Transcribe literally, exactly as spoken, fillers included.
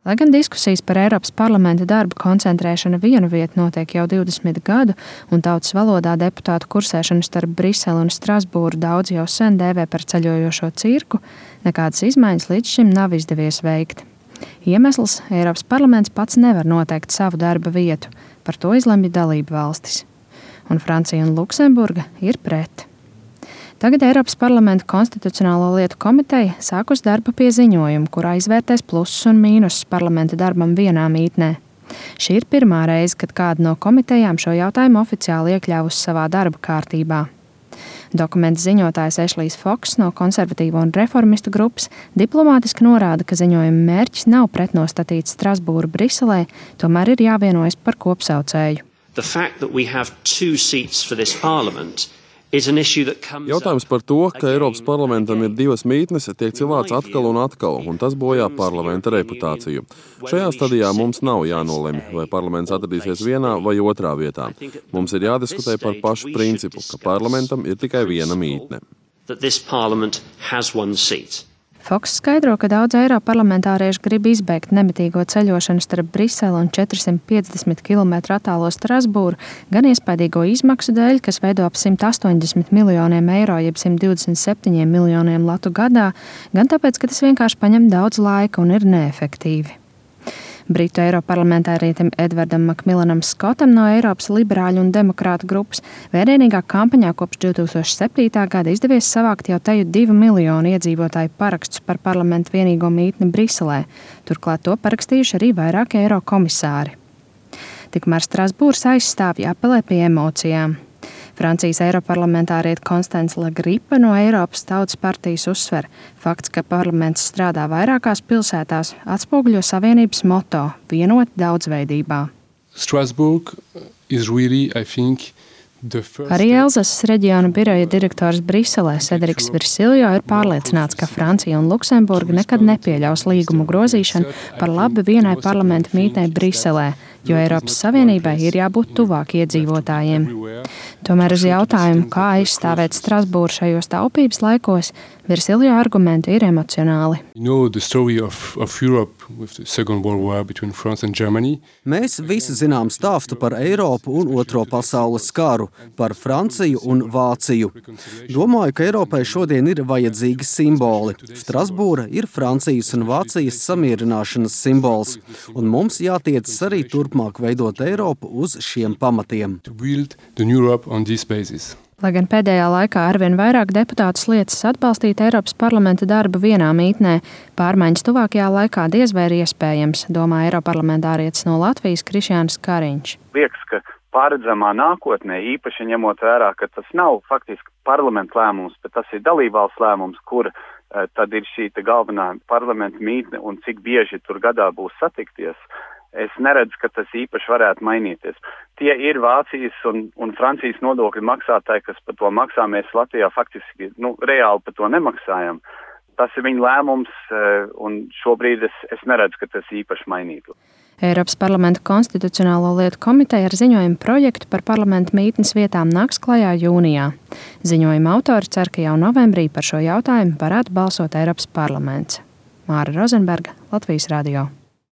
Lai gan diskusijas par Eiropas parlamenta darba koncentrēšanu vienu vietu notiek jau divdesmit gadu, un tautas valodā deputātu kursēšanu starp Briseli un Strasbūru daudz jau sen dēvē par ceļojošo cirku, nekādas izmaiņas līdz šim nav izdevies veikt. Iemesls – Eiropas parlaments pats nevar noteikt savu darba vietu, par to izlemj dalību valstis. Un Francija un Luksemburga ir pret. Tagad Eiropas parlamenta konstitucionālo lietu komiteja sākus darbu pie ziņojuma, kurā izvērtēs plusus un mīnusus parlamenta darbam vienā mītnē. Šī ir pirmā reize, kad kāda no komitejām šo jautājumu oficiāli iekļāvusi savā darba kārtībā. Dokumenta ziņotājs Ešlijs Foks no konservatīvo un reformistu grupas diplomātiski norāda, ka ziņojuma mērķis nav pretnostatīt Strasbūru Briselē, tomēr ir jāvienojas par kopsaucēju. Jautājums par to, ka Eiropas parlamentam ir divas mītnes, tiek cilāts atkal un atkal, un tas bojā parlamenta reputāciju. Šajā stadijā mums nav jānolemj, vai parlaments atradīsies vienā vai otrā vietā. Mums ir jādiskutē par pašu principu, ka parlamentam ir tikai viena mītne. Foks skaidro, ka daudz eiroparlamentārieši grib izbeigt nemitīgo ceļošanu starp Briseli un četrsimt piecdesmit kilometru attālo Strasbūru, gan iespaidīgo izmaksu dēļ, kas veido ap simt astoņdesmit miljoniem eiro, jeb simt divdesmit septiņiem miljoniem latu gadā, gan tāpēc, ka tas vienkārši paņem daudz laika un ir neefektīvi. Britu eiroparlamentārietim Edvardam Makmilanam Skotam no Eiropas liberāļu un demokrātu grupas vērienīgā kampaņā kopš divs tūkstoši septītā gada izdevies savākt jau teju divu miljonu iedzīvotāju parakstus par parlamentu vienīgo mītni Briselē. Turklāt to parakstījuši arī vairāki eirokomisāri. Tikmēr Strasbūras aizstāvji apelē pie emocijām. Francijas eiroparlamentāriete Constance Le Grip no Eiropas Tautas partijas uzsver, fakts, ka parlaments strādā vairākās pilsētās, atspoguļo Savienības moto – vienot daudzveidībā. Strasbourg is really, I think, Arī Elzasas reģiona biroja direktors Briselē Cedriks Virsiljo ir pārliecināts, ka Francija un Luksemburga nekad nepieļaus līgumu grozīšanu par labu vienai parlamenta mītnei Briselē, jo Eiropas Savienībai ir jābūt tuvāk iedzīvotājiem. Tomēr uz jautājumu, kā aizstāvēt Strasbūru šajos taupības laikos, Virsiljo argumenti ir emocionāli. Mēs visi zinām stāstu par Eiropu un Otro pasaules karu, par Franciju un Vāciju. Domāju, ka Eiropai šodien ir vajadzīgi simboli. Strasbūra ir Francijas un Vācijas samierināšanas simbols, un mums jātiecas arī turpmāk veidot Eiropu uz šiem pamatiem. Lai gan pēdējā laikā arvien vairāk deputātus liecas atbalstīt Eiropas parlamenta darbu vienā mītnē, pārmaiņas tuvākajā laikā diez vai ir iespējams, domā eiroparlamentārietis no Latvijas Krišjānis Kariņš. Liekas, ka paredzamā nākotnē, īpaši ņemot vērā, ka tas nav faktiski parlamenta lēmums, bet tas ir dalībvalsts lēmums, kur uh, tad ir šī galvenā parlamenta mītne un cik bieži tur gadā būs satikties. Es neredzu, ka tas īpaši varētu mainīties. Tie ir Vācijas un, un Francijas nodokļu maksātāji, kas par to maksā. Mēs Latvijā faktiski nu, reāli par to nemaksājam. Tas ir viņa lēmums, un šobrīd es, es neredzu, ka tas īpaši mainītu. Eiropas parlamenta konstitucionālo lietu komiteja ar ziņojumu projektu par parlamenta mītnes vietām nāks klajā jūnijā. Ziņojuma autori cer, ka jau novembrī par šo jautājumu varētu balsot Eiropas parlaments. Māra Rozenberga, Latvijas radio.